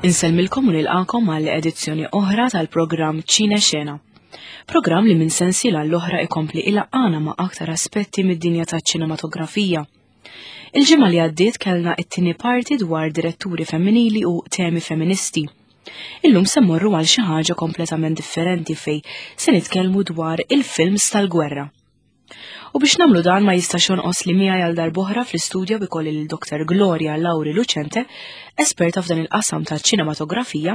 Insellmilkom u nilqakom għal edizzjoni oħra tal-programm Ċine Xena. Programm li minn sensiela l-oħra ikompli ilaqqana ma' aktar aspetti mid-dinja taċ-ċinematografija. Il-ġimgħa li għaddiet kellna it-tieni parti dwar diretturi femminili u temi feministi. Illum se mmorru għal xi ħaġa kompletament differenti fej se nitkellmu dwar il-films tal-gwerra. U biex namlu dan ma jistax jonqos li miegħi għal darb'oħra fl-istudjo bikolli lil Dr. Gloria Lauri Lucente, esperta f'dan il-qasam ta' ċinematografija,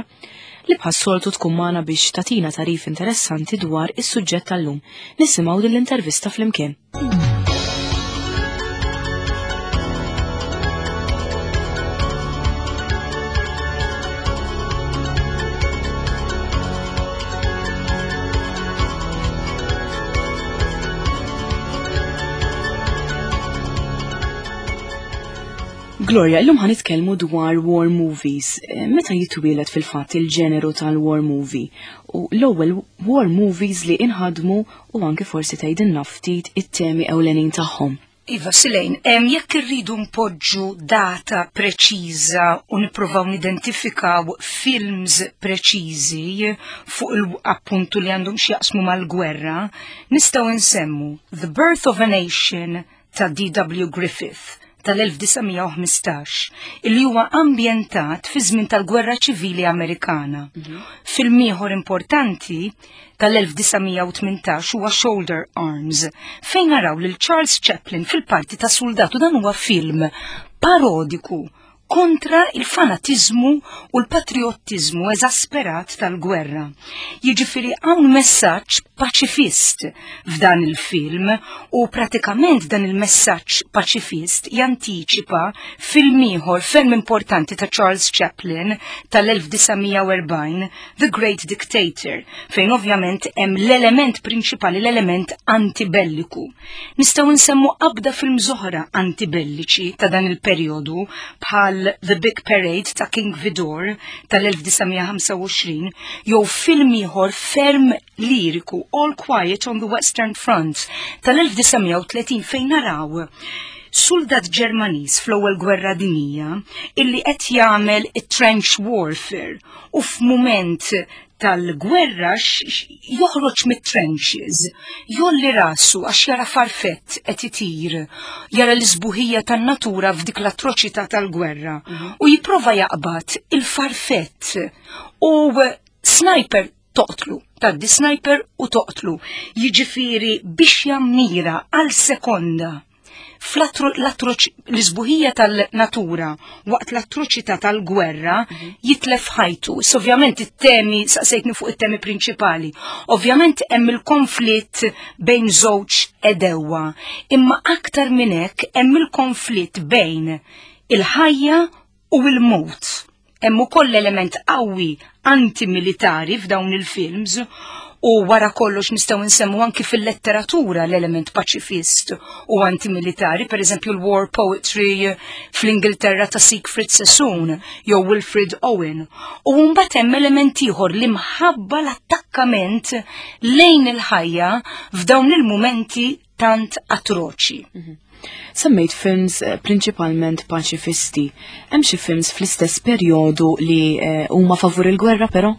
li bħas-soltu tkun magħna biex tatina tarif interessanti dwar is-suġġett tal-lum. Nisimgħu din l-intervista flimkien. Gloria, illum ħan nitkellmu dwar war movies. Eh, meta jitwielet fil-fatt il-ġeneru tal-war movie u l-ewwel war movies li inħadmu u anke forsi tgħidilna ftit it-temi ewlenin tagħhom. Iva, Silejn, jekk irridu npoġġu data preċiża u nippruvaw nidentifikaw films preċiżi fuq il-appuntu li għandhom x'jaqsmu mal-gwerra, nistgħu nsemmu The Birth of a Nation ta' D.W. Griffith tal-1915, illi huwa ambjentat fi żmien tal-Gwerra Ċivili Amerikana. Mhm. Film ieħor importanti tal-1918 huwa Shoulder Arms, fejn naraw lil Charles Chaplin fil-parti ta' soldatu dan huwa film parodiku kontra il-fanatizmu u l-patriottiżmu eżasperat tal-gwerra. Jiġifieri hawn messaġġ paċifist f'dan il-film u pratikament dan il-messaġġ paċifist jantiċipa film ieħor ferm importanti ta' Charles Chaplin tal-1940 The Great Dictator, fejn ovvjament hemm l-element prinċipali, l-element antibelliku. Nistgħu nsemmu qabda film oħra antibelliċi ta' dan il-perjodu bħal The Big Parade ta' King Vidor tal-1925 jew film ieħor ferm liriku All Quiet on the Western Front tal-1930 fejn naraw suldat Ġermaniż fl-ewwel gwerra dinjija illi qed jagħmel it-trench warfare u f'mument tal-gwerra joħroġ mit-trenches, jolli rasu għax jara farfett qed itir, jara l-isbuħija tan-natura f'dik l-atroċità tal-gwerra mhm. u jipprova jaqbad il-farfett u sniper toqtlu, taddi sniper u toqtlu. Jiġifieri biex jammira għal sekonda l-isbuħija tal-natura waqt l-atroċità tal-gwerra mhm. jitlef ħajtu. Ovvjament it-temi, saqsejtni fuq it-temi prinċipali. Ovvjament hemm il-konflitt bejn żewġ edewa, imma aktar minn hekk hemm il-konflitt bejn il-ħajja u l-mewt. Hemm ukoll element qawwi antimilitari f'dawn il-films u wara kollox nistgħu nsemmu anki fil-letteratura l-element paċifist u antimilitari, per eżempju l-war poetry fl-Ingilterra ta' Siegfried Sassoon jew Wilfred Owen. U mbagħad hemm element ieħor li mħabba l-attakkament lejn il-ħajja f'dawn il-mumenti tant atroċi. Mhm. Semmejt films eh, prinċipalment paċifisti. Hemm xi films fl-istess perjodu li eh, huma favur il-gwerra però?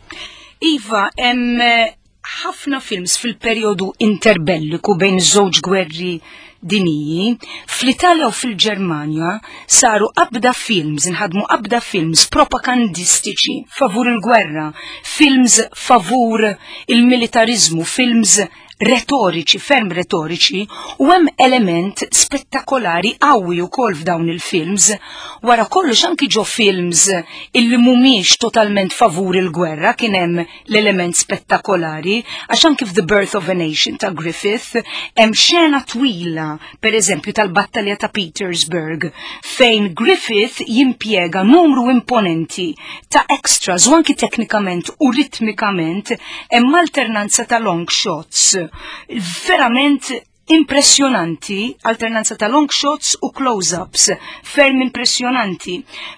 Iva, hemm eh, ħafna films fil-perjodu interbelliku bejn żewġ gwerri diniji, fl-Italja u fil-Ġermanja saru qabda films, inħadmu qabda films propagandistiċi favur il-gwerra, films favur il-militarizmu, films retoriċi, ferm retoriċi, u hemm element spettakolari qawwi wkoll f'dawn il-films. Wara kollox anki ġo films illi mhumiex totalment favur il-gwerra kien hemm l-element spettakolari, għax anki f'The Birth of a Nation ta' Griffith hemm xena twila, per eżempju tal-battalja ta' Petersburg, fejn Griffith jimpjega numru imponenti ta' extras u anki teknikament u ritmikament hemm alternanza ta' long shots. Verament impressjonanti, alternanza ta' long shots u close-ups, ferm impressjonanti.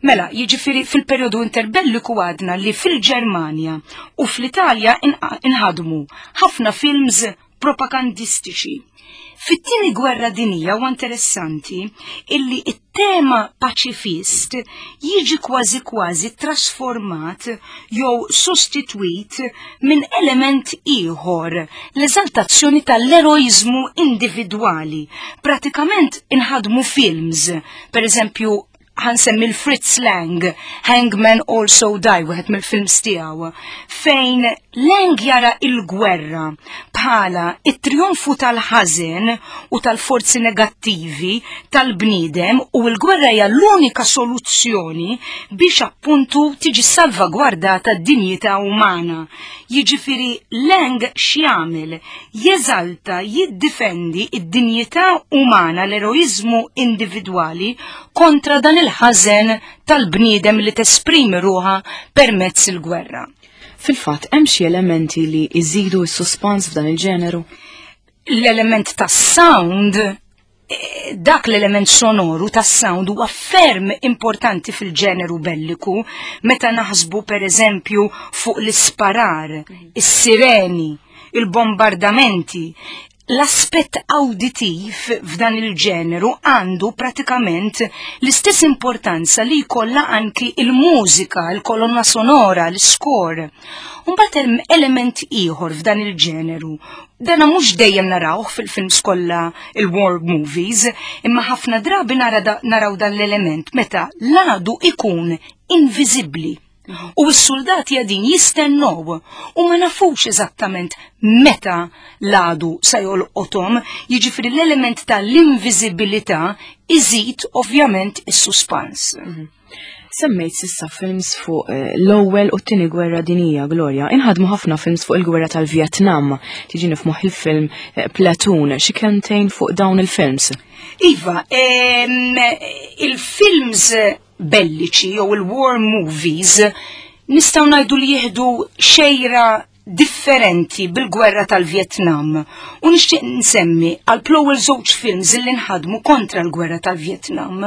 Mela, jiġifieri fil-perjodu interbelliku għadna li fil-Ġermanja u fl-Italja inħadmu ħafna films. propagandistiċi. Fit-tieni gwerra dinija huwa interessanti illi it-tema paċifist jiġi kważi kważi trasformat jew sostitwit minn element ieħor, l-eżaltazzjoni tal-eroiżmu individwali. Pratikament inħadmu films, per eżempju ħansemmi l-Fritz Lang, Hangman Also Die, wieħed mill-films tiegħu, fejn Lang jara il-gwerra bħala it-trionfu tal-ħażen u tal-forzi negattivi tal-bniedem u l-gwerra hija l-unika soluzzjoni biex appuntu tiġi salvagwardata d-dinjità umana. Jiġifieri Lang x'jagħmel? Jeżalta, jiddifendi id-dinjità umana, l-eroiżmu individwali kontra dan il-ħażen tal-bniedem li tesprimi ruħha permezz il-gwerra. Fil-fatt, hemm xi elementi li jżidu s-suspans f'dan il-ġeneru? L-element tas-sound eh, dak l-element sonoru tas sound huwa ferm importanti fil-ġeneru belliku meta naħsbu per eżempju fuq l-isparar, is-sireni, il-bombardamenti, l-aspett awditiv f'dan il-ġeneru għandu pratikament l-istess importanza li jkollha anki il-mużika, il-kolonna sonora, l-score. Mbagħad hemm element ieħor f'dan il-ġeneru. Dana mhux dejjem narawh fil-films kollha il-war movies, imma ħafna drabi naraw dan l-element meta l-għadu ikun inviżibbli. U s-soldati għadin jistennow u ma nafux eżattament meta l-għadu sa jolqothom, jiġifieri l-element tal-inviżibilità iżid ovvjament is-suspans. Mhm. Semmejt sissa films fuq eh, l-ewwel u t-tieni gwerra dinija, Gloria. Inħadmu ħafna films fuq il-gwerra tal-Vjetnam. Tiġini f'moħħ il-film eh, Platoon, xi kentejn fuq dawn il-films. Iva, il-films belliċi jew il-war movies nistgħu ngħidu li jieħdu xejra differenti bil-gwerra tal-Vjetnam u nixtieq nsemmi għal l-ewwel żewġ films li nħadmu kontra l-gwerra tal-Vjetnam.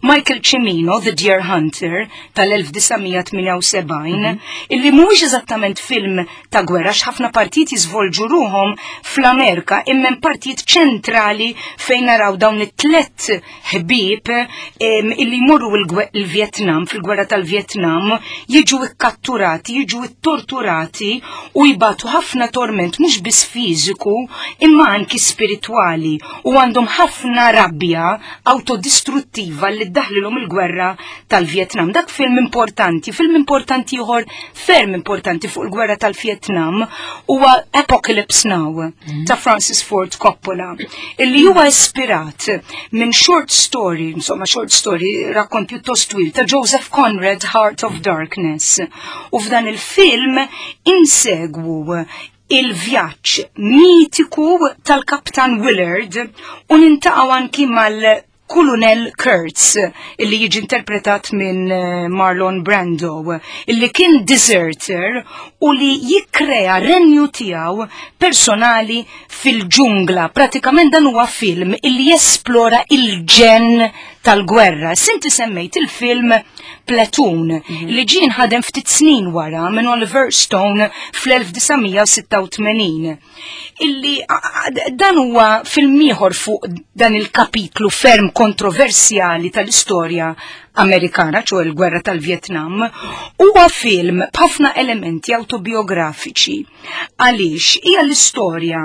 Michael Cimino, The Deer Hunter tal-1978, mm -hmm. illi mhuwiex eżattament film ta' gwerra x'ħafna partijiet jiżvolġu ruhom fl-Amerika imma partijiet ċentrali fejn naraw dawn it-tlet ħbieb illi jmorru il-Vjetnam, fil-gwerra tal-Vjetnam, jiġu ikkatturati, jiġu ittorturati u jbatu ħafna torment mhux biss fiżiku imma anki spiritwali u għandhom ħafna rabja autodistruttiva li ddaħlilhom il-gwerra tal-Vjetnam. Dak film importanti, film importanti ieħor ferm importanti fuq il-gwerra tal-Vjetnam huwa Apocalypse Now mhm. ta' Francis Ford Coppola, illi huwa ispirat minn short story, insomma short story rakkont pjuttost twil ta' Joseph Conrad Heart of Darkness. U f'dan il-film insegwu il-vjaġġ mitiku tal-Kaptan Willard u nintaqgħu anki mal Kulunell Kurtz, illi jiġi interpretat minn eh, Marlon Brando, illi kien deserter u li jikkrea renju tiegħu personali fil-ġungla. Pratikament dan huwa film illi jesplora il-ġen tal-gwerra. Sinti semmejt il-film Platoon mhm. li ġie nħadem ftit snin wara minn Oliver Stone fl-1986. Illi dan huwa film ieħor fuq dan il-kapitlu ferm kontroversjali tal-istorja Amerikana, ċo il-gwerra tal-Vjetnam, huwa film b'ħafna elementi autobiografiċi. Għaliex hija l-istorja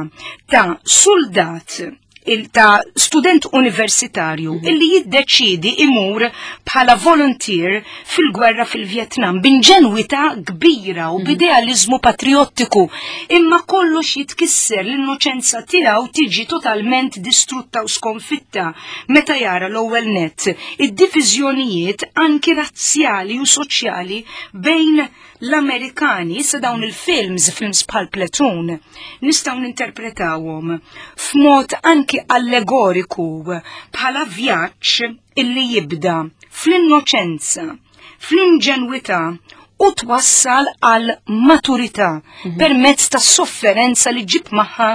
ta' soldat il ta' student universitarju mhm. illi jiddeċidi imur bħala volunteer fil-gwerra fil-Vjetnam b'inġenwità kbira u mhm. b'idealizmu patriottiku imma kollox jitkisser l-innoċenza tiegħu tiġi totalment distrutta u skonfitta meta jara l-ewwel net id-diviżjonijiet anki razzjali u soċjali bejn L-Amerikani, issa dawn il-films, films bħal Platoon, nistgħu ninterpretawhom f'mod anki allegoriku bħala vjaġġ illi jibda fl-innoċenza, fl-inġenwità u twassal għal maturità mm -hmm. permezz ta' sofferenza li ġib magħha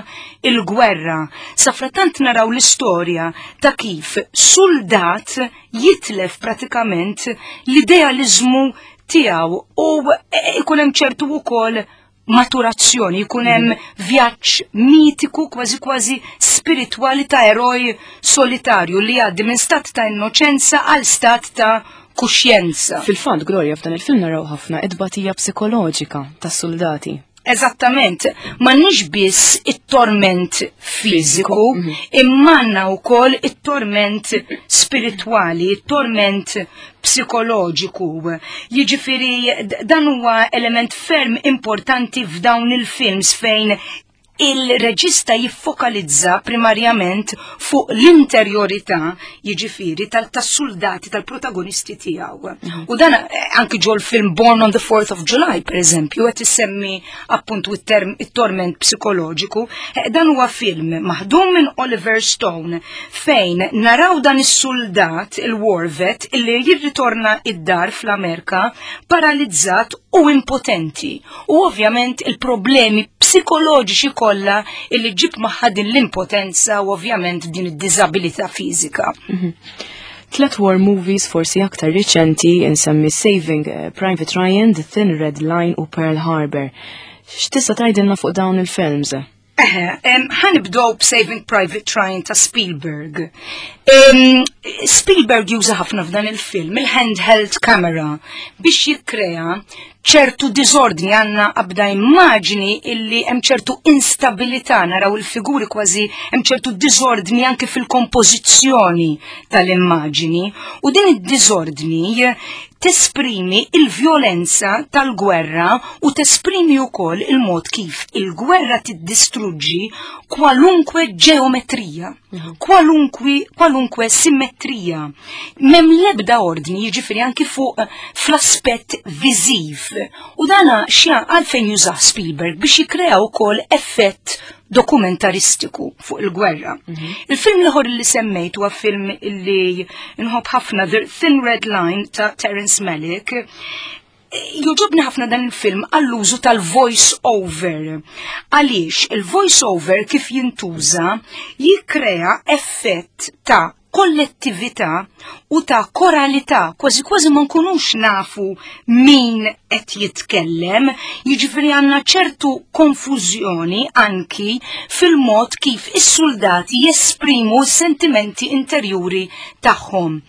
il-gwerra. Safratant naraw l-istorja ta' kif soldat jitlef pratikament l-idealizmu tiegħu u ikun hemm ċertu wkoll maturazzjoni, jkun hemm vjaġġ mitiku kważi kważi spiritwali ta' eroj solitarju li jgħaddi minn stat ta' innoċenza għal stat ta' kuxjenza. Fil-fatt, Gloria, f'dan il-film naraw ħafna it-tbatija psikoloġika tas-soldati. Eżattament, m'għandniex biss it-torment fiżiku, imma għandna wkoll it-torment spiritwali, it-torment psikoloġiku. Jiġifieri dan huwa element ferm importanti f'dawn il-films fejn il-reġista jiffokalizza primarjament fuq l-interjorità, jiġifieri tas-soldati tal-protagonisti tiegħu. U dan anki ġol film Born on the 4th of July, per eżempju, qed issemmi appuntu it-torment psikoloġiku, dan huwa film maħdum minn Oliver Stone fejn naraw dan is-soldat, il-war vet, illi jirritorna id-dar fl-Amerika paralizzat u impotenti. U ovvjament il-problemi psikoloġiċi kollha illi ġib magħha din l-impotenza u ovvjament din id-diżabilità fiżika. Tlet war movies forsi aktar riċenti insemmi Saving Private Ryan, The Thin Red Line u Pearl Harbor. X'tista' tgħidilna fuq dawn il-films? Eħe, ħa nibdew b'Saving Private Ryan ta' Spielberg. Spielberg juża ħafna f'dan il-film il-handheld camera biex jikkrea ċertu diżordni. Għandna qabda immaġni illi hemm ċertu instabilità, naraw il-figuri kważi hemm ċertu diżordni anke fil-kompożizzjoni tal-immaġni, u din id-diżordni tesprimi il-vjolenza tal-gwerra u tesprimi wkoll il-mod kif il-gwerra tiddistruġġi kwalunkwe ġeometrija, kwalunkwe simmetrija. M'hemm l-ebda ordni, jiġifieri anki fuq fl-aspett viżiv. U dana xja għalfejn jużah Spielberg biex jikkrea wkoll effett dokumentaristiku fuq il-gwerra. Il-film l-ieħor li semmejt huwa film li nħobb ħafna, The Thin Red Line ta' Terrence Malick. Jogħġobni ħafna dan il-film għall-użu tal-voice over. Għaliex il-voice over kif jintuża jikkrea effett ta' kollettività u ta' koralità, kważi kważi ma nkunux nafu min qed jitkellem, jiġifieri għandna ċertu konfużjoni anki fil-mod kif is-soldati jesprimu s-sentimenti interjuri tagħhom.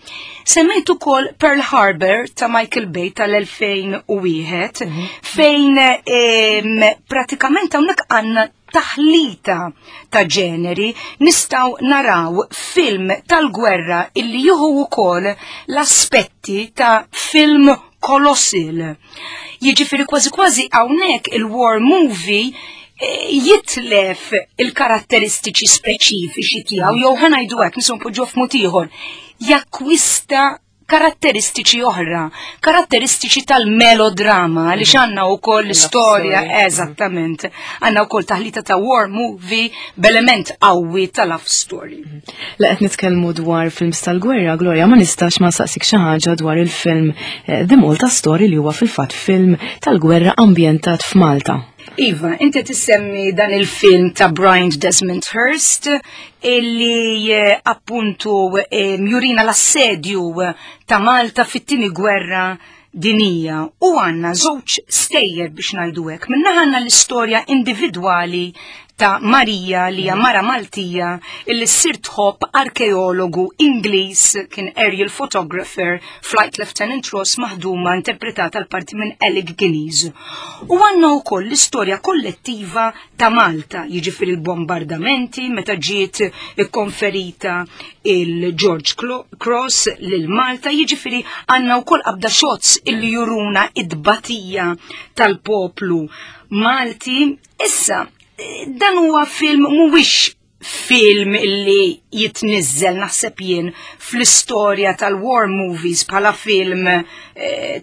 Semmejt ukoll Pearl Harbor ta' Michael Bay tal-2001, fejn pratikament hawnhekk għandna taħlita ta' ġeneri, nistgħu naraw film tal-gwerra illi jieħu wkoll l-aspetti ta' film colossal. Jiġifieri kważi kważi hawnhekk il-war movie jitlef il-karatteristiċi speċifiċi tiegħu, jew ħa ngħidu hekk, nistgħu npoġġuh f'mod ieħor, jakkwista karatteristiċi oħra, karatteristiċi tal-melodrama, li għandna wkoll l-istorja, eżattament, għandna wkoll taħlita ta' war movie b'element qawwi ta' love story. La qed nitkellmu dwar films tal-gwerra, Gloria, ma nistax ma saqsik xi ħaġa dwar il-film The Malta Story, li huwa fil-fatt film tal-gwerra ambjentat f'Malta. Iva, inti tissemmi dan il-film ta' Brian Desmond Hurst illi appuntu jurina l-assedju ta' Malta fit-tieni gwerra dinija, u għandna żewġ stejjer biex ngħidu hekk. Minna għandna l-istorja individwali ta' Marija li hija mara Maltija illi ssir tħobb arkeologu Ingliż, kien aerial photographer, Flight Lieutenant Ross, maħduma interpretata l-parti minn Alec Guinness. U għandna wkoll l-istorja kollettiva ta' Malta, jiġifieri l-bombardamenti meta ġiet ikkonferita il-George Cross lil Malta, jiġifieri għandna wkoll qabda shots illi juruna id-batija tal-poplu Malti. Issa, dan huwa film, mhuwiex film illi jitnizzel naħseb jien fl-istorja tal-war movies bħala film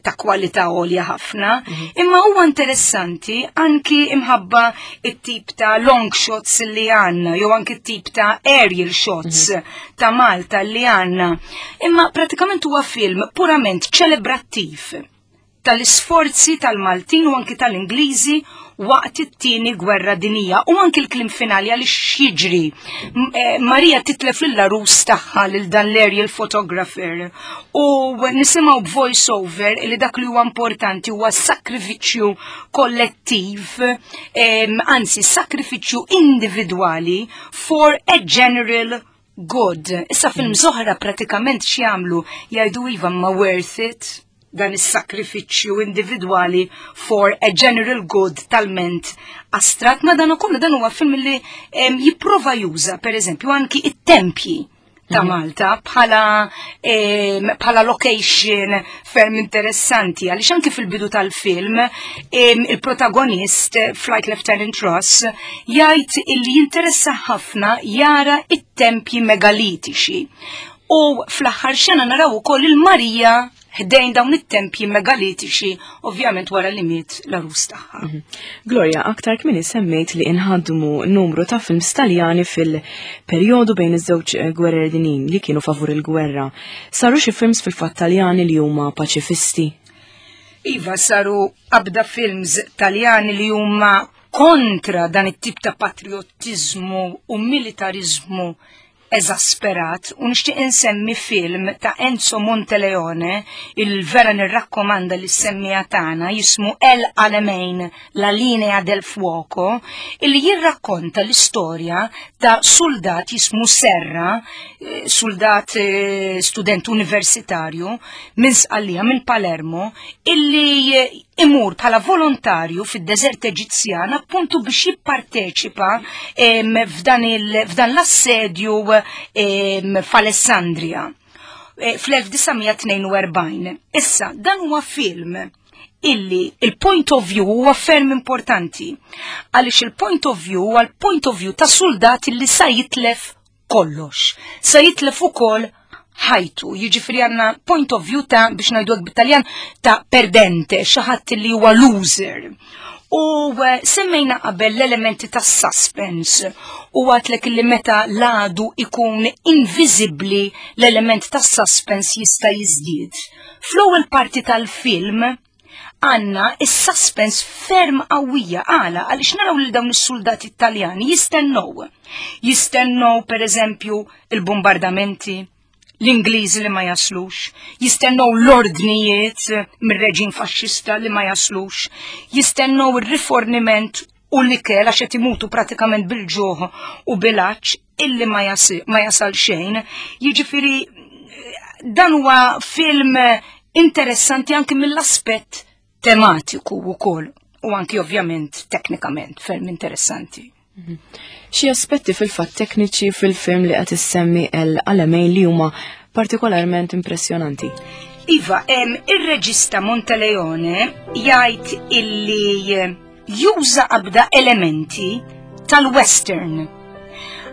ta' kwalità għolja ħafna, imma huwa interessanti anki imħabba it-tip ta' long shots li għandna, jew anki it-tip ta' aerial shots ta' Malta li għandna. Imma pratikament huwa film purament ċelebrattiv. tal-isforzi tal-Maltin u anki tal-Ingliżi waqt it-tieni gwerra dinija u anki l-klim finali għaliex jiġri. Eh, Marija titlef lill-arus tagħha lil dan l-aerial photographer u nisimgħu b'voice over li dak li huwa importanti huwa sakrifiċċju kollettiv, anzi sakrifiċċju individwali for a general good. Issa film zoħra pratikament x'jagħmlu jgħidu iva ma worth it dan is-sakrifiċċju individwali for a general good talment astrat ma dan ukoll dan huwa film li jipprova juża pereżempju anki it-tempji ta' mhm. Malta bħala bħala location ferm interessanti għaliex anki fil-bidu tal-film il-protagonist Flight Lieutenant Ross jgħid illi jinteressa ħafna jara it-tempji megalitiċi. U fl-aħħar xena naraw ukoll il-Marija ħdejn dawn it-tempji megalitiċi, ovvjament wara li miet l-arus tagħha. Mhm. Gloria, aktar kmini semmejt li inħadmu numru ta' films Taljani fil-perjodu bejn iż-żewġ eh, gwerer dinin li kienu favur il-gwerra. Saru xi films fil-fatt Taljani li huma paċifisti? Iva, saru qabda films Taljani li huma kontra dan it-tip ta' patriotizmu u militarizmu eżasperat u nixtieq insemmi film ta' Enzo Monteleone il vera nirrakkomanda li semmija tagħna jismu El Alamein La Linea del Fuoco illi jirrakkonta l-istorja ta' soldat jismu Serra, eh, soldat eh, student universitarju minn Sqallija minn Palermo illi eh, imur bħala volontarju fid-deżert Eġizzjan appuntu biex jipparteċipa f'dan l-assedju f'Alessandria eh, fl-1942. Issa, dan huwa film illi il-point of view huwa ferm importanti. Għaliex il-point of view huwa l-point of view ta' soldat illi sa jitlef kollox. Sa jitlef ukoll ħajtu, jiġifieri għandna point of view ta' biex ngħidu hekk bit-Taljan ta' perdente, xi ħadd li huwa loser. U eh, semmejna qabel l-elementi ta' suspense u għatlek li meta l-għadu ikun invisibli l-element ta' suspense jista' jiżdied. Fl-ewwel parti tal-film għanna is-suspense ferm qawwija għala għaliex naraw lil dawn is-soldati Taljani jistennew. Jistennew pereżempju il-bombardamenti, l-Ingliżi li ma jaslux, jistennew l-ordnijiet mir-reġim faxxista li ma jaslux, jistennew ir-riforniment u l-ikel għax qed imutu pratikament bil-ġuħ u bil-għatx illi ma, ma jasal xejn. Jiġifieri dan huwa film interessanti anki mill-aspett tematiku wkoll u anki ovvjament teknikament ferm interessanti. Mhm. Xi aspetti fil-fatt tekniċi fil-film li qed issemmi El Alamein li huma partikolarment impressjonanti? Iva, ir-reġista Monteleone jgħid illi juża qabda elementi tal-western.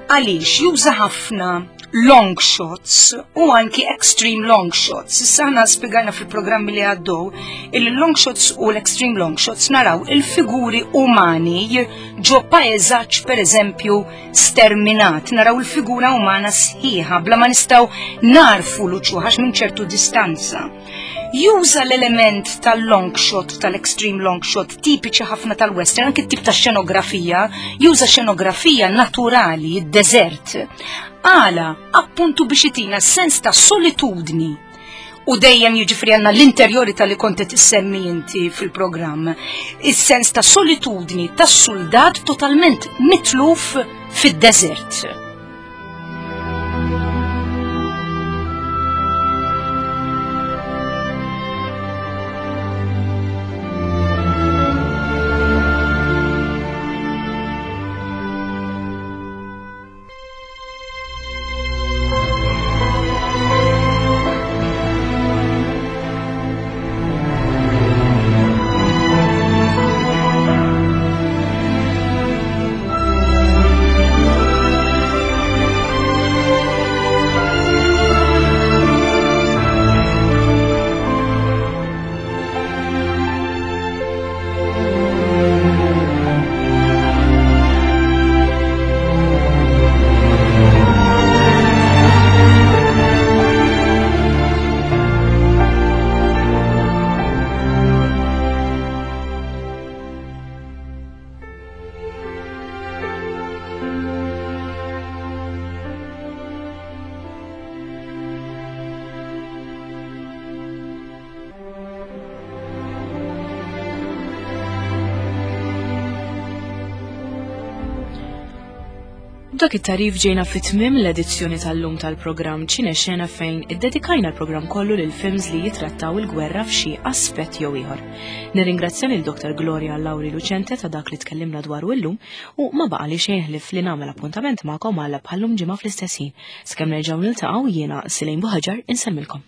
Għaliex juża ħafna long shots u anki extreme long shots. Issa ħna spiegajna fil-programmi li għaddew il-long shots u l-extreme long shots naraw il-figuri umani ġo paeżaġġ per eżempju sterminat, naraw il-figura umana sħiħa bla ma nistgħu narfu l-uċuħax minn ċertu distanza. Juża l-element tal-long shot, tal-extreme long shot, tipiċi ħafna tal-western, anki tip ta' xenografija, juża xenografija naturali, id-deżert. Għala, appuntu biex itina sens ta' solitudni u dejjem jiġifieri għandna l-interjori tal-li kont qed issemmi inti fil-programm. Is-sens ta' solitudni tas-soldat totalment mitluf fid-deżert. B'dak it-tarif ġejna fi tmiem l-edizzjoni tal-lum tal-programm Ċine Xena fejn iddedikajna l-programm kollu lil films li jitrattaw il-gwerra f'xi aspett jew ieħor. Nirringrazzja lil Dr. Gloria Lauri Lucente ta' dak li tkellimna dwaru illum u ma baqa' li xejn ħlief li nagħmel appuntament magħkom għal bħallum ġimgħa fl-istess ħin. Sakemm nerġgħu niltaqgħu jiena Silejn Buħaġar insellmilkom.